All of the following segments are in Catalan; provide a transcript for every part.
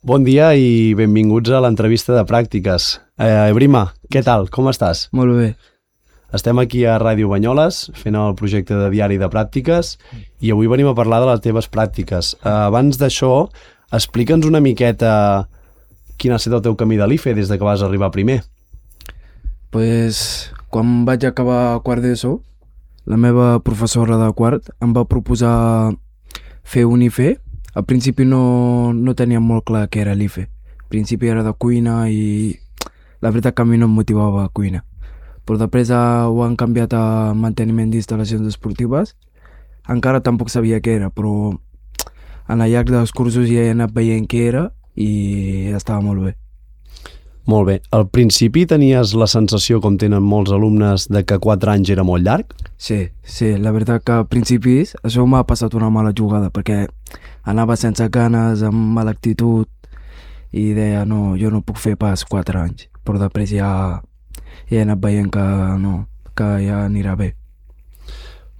Bon dia i benvinguts a l'entrevista de pràctiques. Brima, què tal? Com estàs? Molt bé. Estem aquí a Ràdio Banyoles fent el projecte de diari de pràctiques i avui venim a parlar de les teves pràctiques. Abans d'això, explica'ns una miqueta quin ha estat el teu camí de l'IFE des de que vas arribar primer. Pues, quan vaig acabar quart d'ESO, la meva professora de quart em va proposar fer un IFE. Al principi no tenia molt clar què era l'IFE. Al principi era de cuina i la veritat que a mi no em motivava a cuina. Però després ho han canviat a manteniment d'instal·lacions esportives. Encara tampoc sabia què era, però en el llarg dels cursos ja he anat veient què era i estava molt bé. Molt bé. Al principi tenies la sensació, com tenen molts alumnes, de que 4 anys era molt llarg? Sí, la veritat que al principis això m'ha passat una mala jugada perquè anava sense ganes, amb mala actitud i deia no, jo no puc fer pas 4 anys, però després ja he anat veient que ja anirà bé.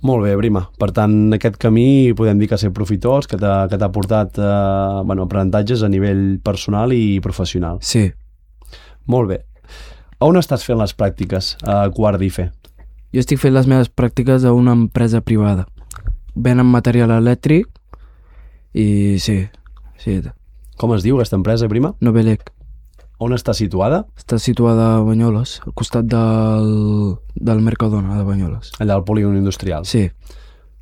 Molt bé, Brima. Per tant, aquest camí podem dir que ha estat profitós, que t'ha portat aprenentatges a nivell personal i professional. Sí. Molt bé. A on estàs fent les pràctiques a quart d'IFE? Jo estic fent les meves pràctiques a una empresa privada. Venen material elèctric i sí. Com es diu aquesta empresa, Brima? Novelec. On està situada? Està situada a Banyoles, al costat del Mercadona de Banyoles. Allà al polígon industrial? Sí.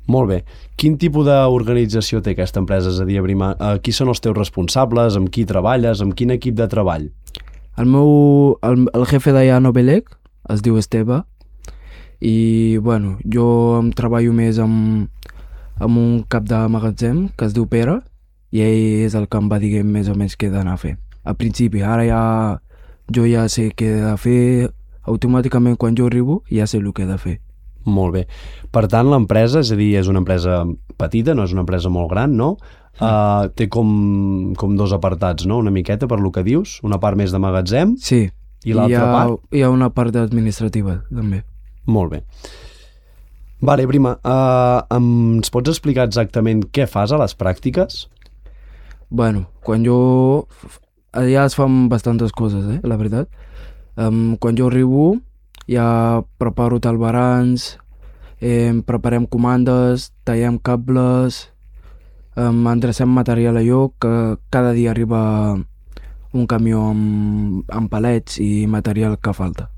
Molt bé. Quin tipus d'organització té aquesta empresa? És a dir, Brima, qui són els teus responsables, amb qui treballes, amb quin equip de treball? El jefe d'allà a Novelec es diu Esteve i jo em treballo més amb un cap de magatzem que es diu Pere i ell és el que em va dir més o menys què he d'anar a fer. Al principi, ara jo ja sé què he de fer, automàticament quan jo arribo ja sé el que he de fer. Molt bé. Per tant, l'empresa, és a dir, és una empresa petita, no és una empresa molt gran, no? Té com dos apartats, no? Una miqueta per lo que dius, una part més de magatzem. Sí. I l'altra part? Hi ha una part administrativa, també. Molt bé. Vale, Brima, ens pots explicar exactament què fas a les pràctiques? Quan jo... Allà es fan bastantes coses, la veritat. Quan jo arribo ja preparo talbarans, preparem comandes, tallem cables, endrecem material allò, que cada dia arriba un camió amb palets i material que falta.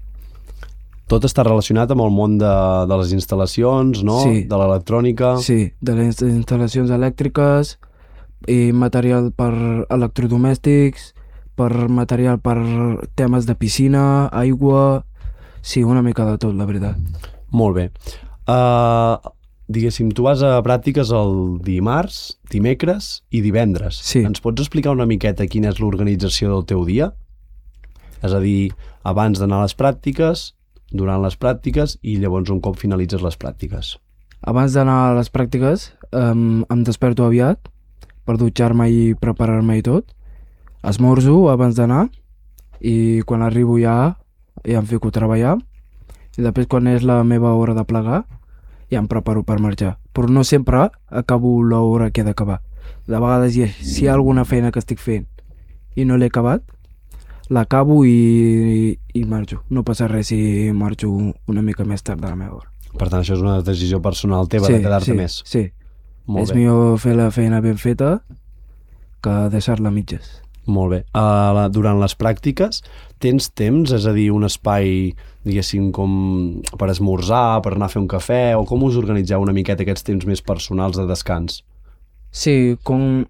Tot està relacionat amb el món de les instal·lacions, no? Sí. De l'electrònica. Sí, de les instal·lacions elèctriques i material per electrodomèstics, per material per temes de piscina, aigua... Sí, una mica de tot, la veritat. Molt bé. Diguéssim, tu vas a pràctiques el dimarts, dimecres i divendres. Sí. Ens pots explicar una miqueta quina és l'organització del teu dia? És a dir, abans d'anar a les pràctiques, durant les pràctiques i llavors un cop finalitzes les pràctiques. Abans d'anar a les pràctiques em desperto aviat per dutxar-me i preparar-me i tot. Esmorzo abans d'anar i quan arribo ja em fico a treballar i després quan és la meva hora de plegar ja em preparo per marxar. Però no sempre acabo l'hora que he d'acabar. De vegades si hi ha alguna feina que estic fent i no l'he acabat, l'acabo i marxo. No passa res si marxo una mica més tard de la meva hora. Per tant, això és una decisió personal teva de quedar-te més. Sí, Molt és bé. millor fer la feina ben feta que deixar-la a mitges. Molt bé. Durant les pràctiques tens temps, és a dir, un espai, diguéssim, com per esmorzar, per anar a fer un cafè, o com us organitzeu una miqueta aquests temps més personals de descans? Sí, com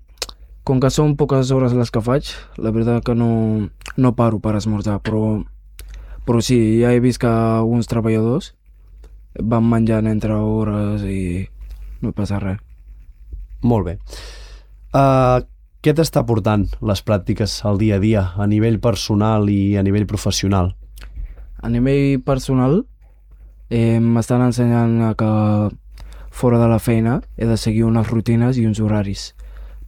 que són poques hores les que faig, la veritat que no paro per esmorzar, però sí, ja he vist que alguns treballadors van menjant entre hores i no passa res. Molt bé. Què t'està portant les pràctiques al dia a dia, a nivell personal i a nivell professional? A nivell personal, m'estan ensenyant que fora de la feina he de seguir unes rutines i uns horaris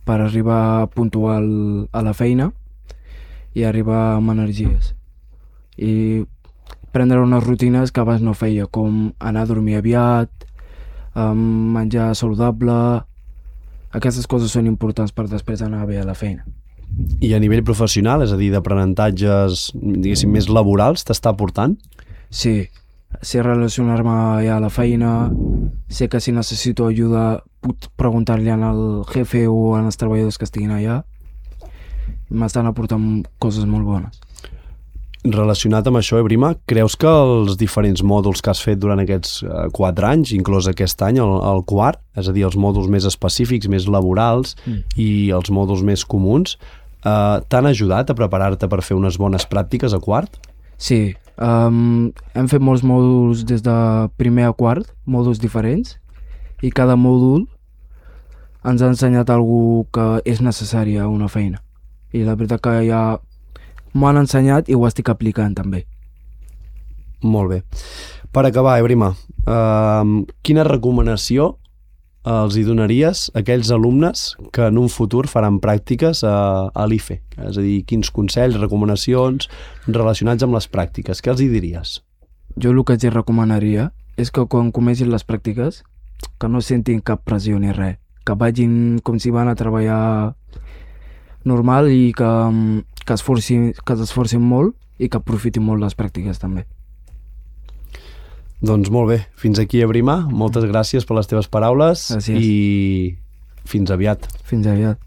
per arribar puntual a la feina i arribar amb energies. I prendre unes rutines que abans no feia, com anar a dormir aviat, menjar saludable. Aquestes coses són importants per després anar bé a la feina. I a nivell professional, és a dir, d'aprenentatges, diguéssim, més laborals, t'està aportant? Sí, sé relacionar-me ja a la feina, sé que si necessito ajuda puc preguntar-li al jefe o als treballadors que estiguin allà. M'estan aportant coses molt bones. Relacionat amb això, Brima, creus que els diferents mòduls que has fet durant aquests 4 anys, inclòs aquest any, el quart, és a dir, els mòduls més específics, més laborals i els mòduls més comuns, t'han ajudat a preparar-te per fer unes bones pràctiques a quart? Sí, hem fet molts mòduls des de primer a quart, mòduls diferents, i cada mòdul ens ha ensenyat alguna que és necessari a una feina. I la veritat que ja m'ho han ensenyat i ho estic aplicant també. Molt bé. Per acabar, Brima, quina recomanació els hi donaries a aquells alumnes que en un futur faran pràctiques a l'IFE? És a dir, quins consells, recomanacions relacionats amb les pràctiques? Què els hi diries? Jo el que els recomanaria és que quan comencin les pràctiques que no sentin cap pressió ni res, que vagin com si van a treballar normal i que s'esforcin molt i que aprofitin molt les pràctiques també. Doncs molt bé, fins aquí, Brima. Moltes gràcies per les teves paraules. Gràcies. I fins aviat. Fins aviat.